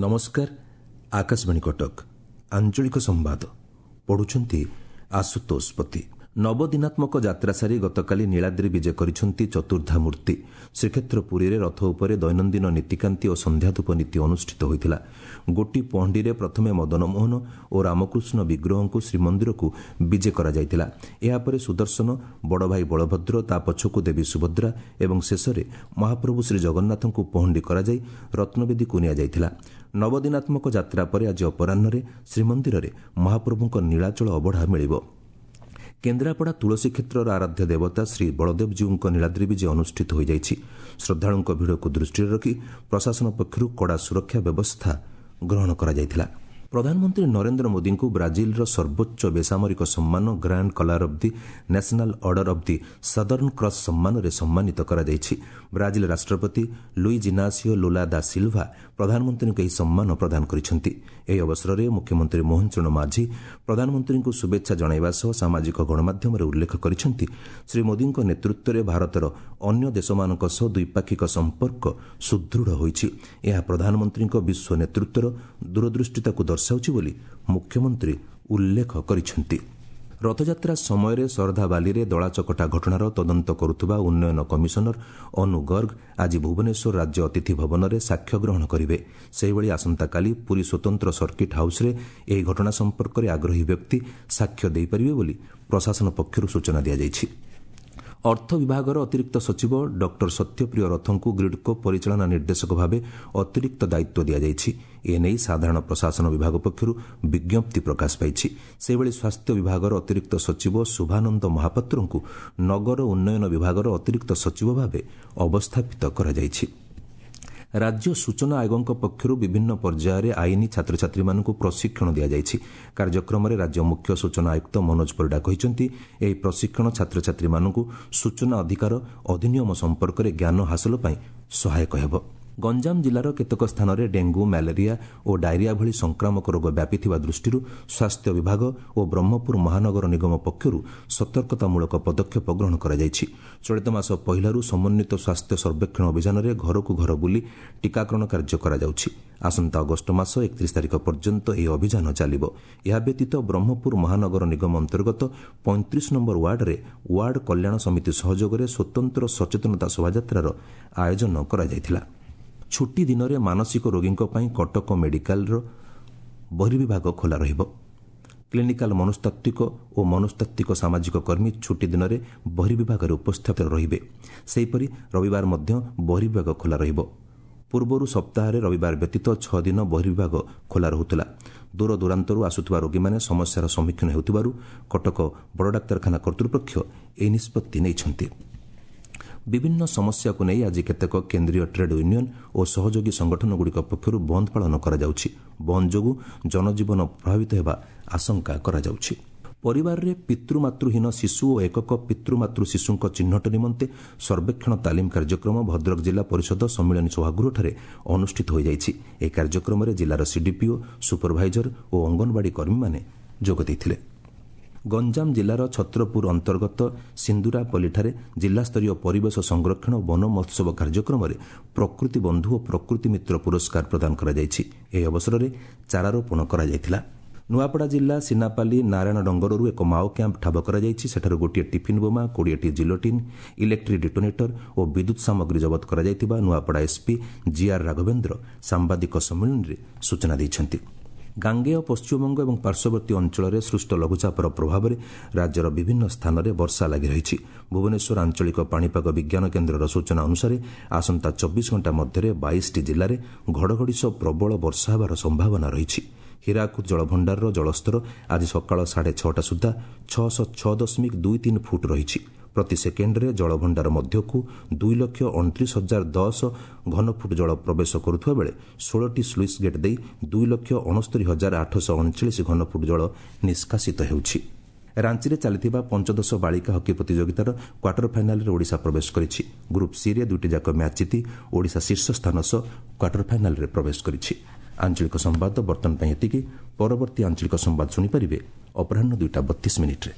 ନମସ୍କାର, ଆକାଶବାଣୀ କଟକ, ଆଞ୍ଚଳିକ ସମ୍ବାଦ ପଢୁଛନ୍ତି ଆଶୁତୋଷ ପତି। ନବଦିନାତ୍ମକ ଯାତ୍ରା ସାରି ଗତକାଲି ନୀଳାଦ୍ରି ବିଜେ କରିଛନ୍ତି ଚତୁର୍ଦ୍ଧା ମୂର୍ତ୍ତି। ଶ୍ରୀକ୍ଷେତ୍ର ପୁରୀରେ ରଥ ଉପରେ ଦୈନନ୍ଦିନ ନୀତିକାନ୍ତି ଓ ସନ୍ଧ୍ୟାଧୂପ ନୀତି ଅନୁଷ୍ଠିତ ହୋଇଥିଲା। ଗୋଟି ପହଣ୍ଡିରେ ପ୍ରଥମେ ମଦନମୋହନ ଓ ରାମକୃଷ୍ଣ ବିଗ୍ରହଙ୍କୁ ଶ୍ରୀମନ୍ଦିରକୁ ବିଜେ କରାଯାଇଥିଲା। ଏହାପରେ ସୁଦର୍ଶନ, ବଡ଼ଭାଇ ବଳଭଦ୍ର, ତା ପଛକୁ ଦେବୀ ସୁଭଦ୍ରା ଏବଂ ଶେଷରେ ମହାପ୍ରଭୁ ଶ୍ରୀଜଗନ୍ନାଥଙ୍କୁ ପହଣ୍ଡି କରାଯାଇ ରତ୍ନବେଦୀକୁ ନିଆଯାଇଥିଲା। ନବଦିନାତ୍ମକ ଯାତ୍ରା ପରେ ଆଜି ଅପରାହ୍ନରେ ଶ୍ରୀମନ୍ଦିରରେ ମହାପ୍ରଭୁଙ୍କ ନୀଳାଚଳ ଅବଢ଼ା ମିଳିବ। କେନ୍ଦ୍ରାପଡ଼ା ତୁଳସୀ କ୍ଷେତ୍ରର ଆରାଧ୍ୟ ଦେବତା ଶ୍ରୀ ବଳଦେବଜୀଉଙ୍କ ନୀଳାଦ୍ରି ବିଜେ ଅନୁଷ୍ଠିତ ହୋଇଯାଇଛି। ଶ୍ରଦ୍ଧାଳୁଙ୍କ ଭିଡ଼କୁ ଦୃଷ୍ଟିରେ ରଖି ପ୍ରଶାସନ ପକ୍ଷରୁ କଡ଼ା ସୁରକ୍ଷା ବ୍ୟବସ୍ଥା ଗ୍ରହଣ କରାଯାଇଥିଲା। ପ୍ରଧାନମନ୍ତ୍ରୀ ନରେନ୍ଦ୍ର ମୋଦିଙ୍କୁ ବ୍ରାଜିଲର ସର୍ବୋଚ୍ଚ ବେସାମରିକ ସମ୍ମାନ Grand Collar of the National Order of the Southern Cross ସମ୍ମାନରେ ସମ୍ମାନିତ କରାଯାଇଛି। ବ୍ରାଜିଲ ରାଷ୍ଟ୍ରପତି ଲୁଇଜ୍ ଇନାସିଓ ଲୁଲା ଦା ସିଲ୍ଭା ପ୍ରଧାନମନ୍ତ୍ରୀଙ୍କୁ ଏହି ସମ୍ମାନ ପ୍ରଦାନ କରିଛନ୍ତି। ଏହି ଅବସରରେ ମୁଖ୍ୟମନ୍ତ୍ରୀ ମୋହନ ଚରଣ ମାଝୀ ପ୍ରଧାନମନ୍ତ୍ରୀଙ୍କୁ ଶୁଭେଚ୍ଛା ଜଣାଇବା ସହ ସାମାଜିକ ଗଣମାଧ୍ୟମରେ ଉଲ୍ଲେଖ କରିଛନ୍ତି, ଶ୍ରୀ ମୋଦିଙ୍କ ନେତୃତ୍ୱରେ ଭାରତର ଅନ୍ୟ ଦେଶମାନଙ୍କ ସହ ଦ୍ୱିପାକ୍ଷିକ ସମ୍ପର୍କ ସୁଦୃଢ଼ ହୋଇଛି। ଏହା ପ୍ରଧାନମନ୍ତ୍ରୀଙ୍କ ବିଶ୍ୱ ନେତୃତ୍ୱର ଦୂରଦୃଷ୍ଟିତାକୁ ଦର୍ଶାଉଛି ବୋଲି ମୁଖ୍ୟମନ୍ତ୍ରୀ ଉଲ୍ଲେଖ କରିଛନ୍ତି। ରଥଯାତ୍ରା ସମୟରେ ଶରଧାବାଲିରେ ଦଳାଚକଟା ଘଟଣାର ତଦନ୍ତ କରୁଥିବା ଉନ୍ନୟନ କମିଶନର ଅନୁ ଗର୍ଗ ଆଜି ଭୁବନେଶ୍ୱର ରାଜ୍ୟ ଅତିଥି ଭବନରେ ସାକ୍ଷ୍ୟ ଗ୍ରହଣ କରିବେ। ସେହିଭଳି ଆସନ୍ତାକାଲି ପୁରୀ ସ୍ୱତନ୍ତ୍ର ସର୍କିଟ୍ ହାଉସ୍ରେ ଏହି ଘଟଣା ସମ୍ପର୍କରେ ଆଗ୍ରହୀ ବ୍ୟକ୍ତି ସାକ୍ଷ୍ୟ ଦେଇପାରିବେ ବୋଲି ପ୍ରଶାସନ ପକ୍ଷରୁ ସୂଚନା ଦିଆଯାଇଛି। ଅର୍ଥ ବିଭାଗର ଅତିରିକ୍ତ ସଚିବ ଡକ୍ଟର ସତ୍ୟପ୍ରିୟ ରଥଙ୍କୁ ଗ୍ରିଡ୍କୋ ପରିଚାଳନା ନିର୍ଦ୍ଦେଶକ ଭାବେ ଅତିରିକ୍ତ ଦାୟିତ୍ୱ ଦିଆଯାଇଛି। ଏନେଇ ସାଧାରଣ ପ୍ରଶାସନ ବିଭାଗ ପକ୍ଷରୁ ବିଜ୍ଞପ୍ତି ପ୍ରକାଶ ପାଇଛି। ସେହିଭଳି ସ୍ୱାସ୍ଥ୍ୟ ବିଭାଗର ଅତିରିକ୍ତ ସଚିବ ଶୁଭାନନ୍ଦ ମହାପାତ୍ରଙ୍କୁ ନଗର ଉନ୍ନୟନ ବିଭାଗର ଅତିରିକ୍ତ ସଚିବ ଭାବେ ଅବସ୍ଥାପିତ କରାଯାଇଛି। ରାଜ୍ୟ ସୂଚନା ଆୟୋଗଙ୍କ ପକ୍ଷରୁ ବିଭିନ୍ନ ପର୍ଯ୍ୟାୟରେ ଆଇନ ଛାତ୍ରଛାତ୍ରୀମାନଙ୍କୁ ପ୍ରଶିକ୍ଷଣ ଦିଆଯାଇଛି। କାର୍ଯ୍ୟକ୍ରମରେ ରାଜ୍ୟ ମୁଖ୍ୟ ସୂଚନା ଆୟୁକ୍ତ ମନୋଜ ପରିଡ଼ା କହିଛନ୍ତି, ଏହି ପ୍ରଶିକ୍ଷଣ ଛାତ୍ରଛାତ୍ରୀମାନଙ୍କୁ ସୂଚନା ଅଧିକାର ଅଧିନିୟମ ସମ୍ପର୍କରେ ଜ୍ଞାନ ହାସଲ ପାଇଁ ସହାୟକ ହେବ। ଗଞ୍ଜାମ ଜିଲ୍ଲାର କେତେକ ସ୍ଥାନରେ ଡେଙ୍ଗୁ, ମ୍ୟାଲେରିଆ ଓ ଡାଇରିଆ ଭଳି ସଂକ୍ରାମକ ରୋଗ ବ୍ୟାପିଥିବା ଦୃଷ୍ଟିରୁ ସ୍ୱାସ୍ଥ୍ୟ ବିଭାଗ ଓ ବ୍ରହ୍ମପୁର ମହାନଗର ନିଗମ ପକ୍ଷରୁ ସତର୍କତାମୂଳକ ପଦକ୍ଷେପ ଗ୍ରହଣ କରାଯାଇଛି। ଚଳିତ ମାସ ପହିଲାରୁ ସମନ୍ୱିତ ସ୍ୱାସ୍ଥ୍ୟ ସର୍ବେକ୍ଷଣ ଅଭିଯାନରେ ଘରକୁ ଘର ବୁଲି ଟିକାକରଣ କାର୍ଯ୍ୟ କରାଯାଉଛି। ଆସନ୍ତା ଅଗଷ୍ଟ ମାସ 31 ତାରିଖ ପର୍ଯ୍ୟନ୍ତ ଏହି ଅଭିଯାନ ଚାଲିବ। ଏହା ବ୍ୟତୀତ ବ୍ରହ୍ମପୁର ମହାନଗର ନିଗମ ଅନ୍ତର୍ଗତ 35 ନମ୍ବର ୱାର୍ଡରେ ୱାର୍ଡ କଲ୍ୟାଣ ସମିତି ସହଯୋଗରେ ସ୍ୱତନ୍ତ୍ର ସଚେତନତା ଶୋଭାଯାତ୍ରାର ଆୟୋଜନ କରାଯାଇଥିଲା। ଛୁଟି ଦିନରେ ମାନସିକ ରୋଗୀଙ୍କ ପାଇଁ କଟକ ମେଡିକାଲର ବର୍ହିବିଭାଗ ଖୋଲା ରହିବ। କ୍ଲିନିକାଲ ମନସ୍ତାତ୍ତ୍ୱିକ ଓ ମନସ୍ତାତ୍ତ୍ୱିକ ସାମାଜିକ କର୍ମୀ ଛୁଟି ଦିନରେ ବର୍ହିବିଭାଗରେ ଉପସ୍ଥିତ ରହିବେ। ସେହିପରି ରବିବାର ମଧ୍ୟ ବର୍ହିବିଭାଗ ଖୋଲା ରହିବ। ପୂର୍ବରୁ ସପ୍ତାହରେ ରବିବାର ବ୍ୟତୀତ 6 ଦିନ ବର୍ହିବିଭାଗ ଖୋଲା ରହୁଥିଲା। ଦୂରଦୂରାନ୍ତରୁ ଆସୁଥିବା ରୋଗୀମାନେ ସମସ୍ୟାର ସମ୍ମୁଖୀନ ହେଉଥିବାରୁ କଟକ ବଡ଼ ଡାକ୍ତରଖାନା କର୍ତ୍ତୃପକ୍ଷ ଏହି ନିଷ୍ପତ୍ତି ନେଇଛନ୍ତି। ବିଭିନ୍ନ ସମସ୍ୟାକୁ ନେଇ ଆଜି କେତେକ କେନ୍ଦ୍ରୀୟ ଟ୍ରେଡ୍ ୟୁନିୟନ୍ ଓ ସହଯୋଗୀ ସଂଗଠନଗୁଡ଼ିକ ପକ୍ଷରୁ ବନ୍ଦ ପାଳନ କରାଯାଉଛି। ବନ୍ଦ ଯୋଗୁଁ ଜନଜୀବନ ପ୍ରଭାବିତ ହେବା ଆଶଙ୍କା କରାଯାଉଛି। ପରିବାରରେ ପିତୃମାତୃହୀନ ଶିଶୁ ଓ ଏକକ ପିତୃମାତୃ ଶିଶୁଙ୍କ ଚିହ୍ନଟ ନିମନ୍ତେ ସର୍ବେକ୍ଷଣ ତାଲିମ କାର୍ଯ୍ୟକ୍ରମ ଭଦ୍ରକ ଜିଲ୍ଲା ପରିଷଦ ସମ୍ମିଳନୀ ସଭାଗୃହଠାରେ ଅନୁଷ୍ଠିତ ହୋଇଯାଇଛି। ଏହି କାର୍ଯ୍ୟକ୍ରମରେ ଜିଲ୍ଲାର ସିଡିପିଓ, ସୁପରଭାଇଜର ଓ ଅଙ୍ଗନବାଡ଼ି କର୍ମୀମାନେ ଯୋଗ ଦେଇଥିଲେ। ଗଞ୍ଜାମ ଜିଲ୍ଲାର ଛତ୍ରପୁର ଅନ୍ତର୍ଗତ ସିନ୍ଦୁରାପଲ୍ଲୀଠାରେ ଜିଲ୍ଲାସ୍ତରୀୟ ପରିବେଶ ସଂରକ୍ଷଣ ଓ ବନ ମହୋତ୍ସବ କାର୍ଯ୍ୟକ୍ରମରେ ପ୍ରକୃତି ବନ୍ଧୁ ଓ ପ୍ରକୃତି ମିତ୍ର ପୁରସ୍କାର ପ୍ରଦାନ କରାଯାଇଛି। ଏହି ଅବସରରେ ଚାରାରୋପଣ କରାଯାଇଥିଲା। ନୂଆପଡ଼ା ଜିଲ୍ଲା ସିନାପାଲି ନାରାୟଣ ଡଙ୍ଗରରୁ ଏକ ମାଓ କ୍ୟାମ୍ପ ଠାବ କରାଯାଇଛି। ସେଠାରୁ ଗୋଟିଏ ଟିଫିନ୍ ବୋମା, 20ଟି ଜିଲୋଟିନ୍, ଇଲେକ୍ଟ୍ରିକ୍ ଡିଟୋନେଟର ଓ ବିଦ୍ୟୁତ୍ ସାମଗ୍ରୀ ଜବତ କରାଯାଇଥିବା ନୂଆପଡ଼ା ଏସ୍ପି ଜିଆର୍ ରାଘବେନ୍ଦ୍ର ସାମ୍ବାଦିକ ସମ୍ମିଳନୀରେ ସୂଚନା ଦେଇଛନ୍ତି। ଗାଙ୍ଗେୟ ପଶ୍ଚିମବଙ୍ଗ ଏବଂ ପାର୍ଶ୍ୱବର୍ତ୍ତୀ ଅଞ୍ଚଳରେ ସୃଷ୍ଟ ଲଘୁଚାପର ପ୍ରଭାବରେ ରାଜ୍ୟର ବିଭିନ୍ନ ସ୍ଥାନରେ ବର୍ଷା ଲାଗି ରହିଛି। ଭୁବନେଶ୍ୱର ଆଞ୍ଚଳିକ ପାଣିପାଗ ବିଜ୍ଞାନ କେନ୍ଦ୍ରର ସୂଚନା ଅନୁସାରେ ଆସନ୍ତା 24 ଘଣ୍ଟା ମଧ୍ୟରେ 22ଟି ଜିଲ୍ଲାରେ ଘଡ଼ଘଡ଼ି ସହ ପ୍ରବଳ ବର୍ଷା ହେବାର ସମ୍ଭାବନା ରହିଛି। ହୀରାକୁଦ ଜଳଭଣ୍ଡାରର ଜଳସ୍ତର ଆଜି ସକାଳ 6:30 ସୁଦ୍ଧା 606.23 ଫୁଟ ରହିଛି। ପ୍ରତି ସେକେଣ୍ଡରେ ଜଳଭଣ୍ଡାର ମଧ୍ୟକୁ 2,29,010 ଘନଫୁଟ ଜଳ ପ୍ରବେଶ କରୁଥିବା ବେଳେ 16ଟି ସ୍ଲୁଇସ୍ ଗେଟ୍ ଦେଇ 2,69,839 ଘନଫୁଟ ଜଳ ନିଷ୍କାସିତ ହେଉଛି। ରାଞ୍ଚିରେ ଚାଲିଥିବା ପଞ୍ଚଦଶ ବାଳିକା ହକି ପ୍ରତିଯୋଗିତାର କ୍ୱାର୍ଟର ଫାଇନାଲ୍ରେ ଓଡ଼ିଶା ପ୍ରବେଶ କରିଛି। ଗ୍ରୁପ୍ ସିରେ ଦୁଇଟି ଯାକ ମ୍ୟାଚ୍ ଜିତି ଓଡ଼ିଶା ଶୀର୍ଷ ସ୍ଥାନ ସହ କ୍ୱାର୍ଟର ଫାଇନାଲ୍ରେ ପ୍ରବେଶ କରିଛି। ଆଞ୍ଚଳିକ ସମ୍ବାଦ ବର୍ତ୍ତମାନ ପାଇଁ ଏତିକି। ପରବର୍ତ୍ତୀ ଆଞ୍ଚଳିକ ସମ୍ବାଦ ଶୁଣିପାରିବେ ଅପରାହ୍ନ 2ଟା 32 ମିନିଟ୍ରେ।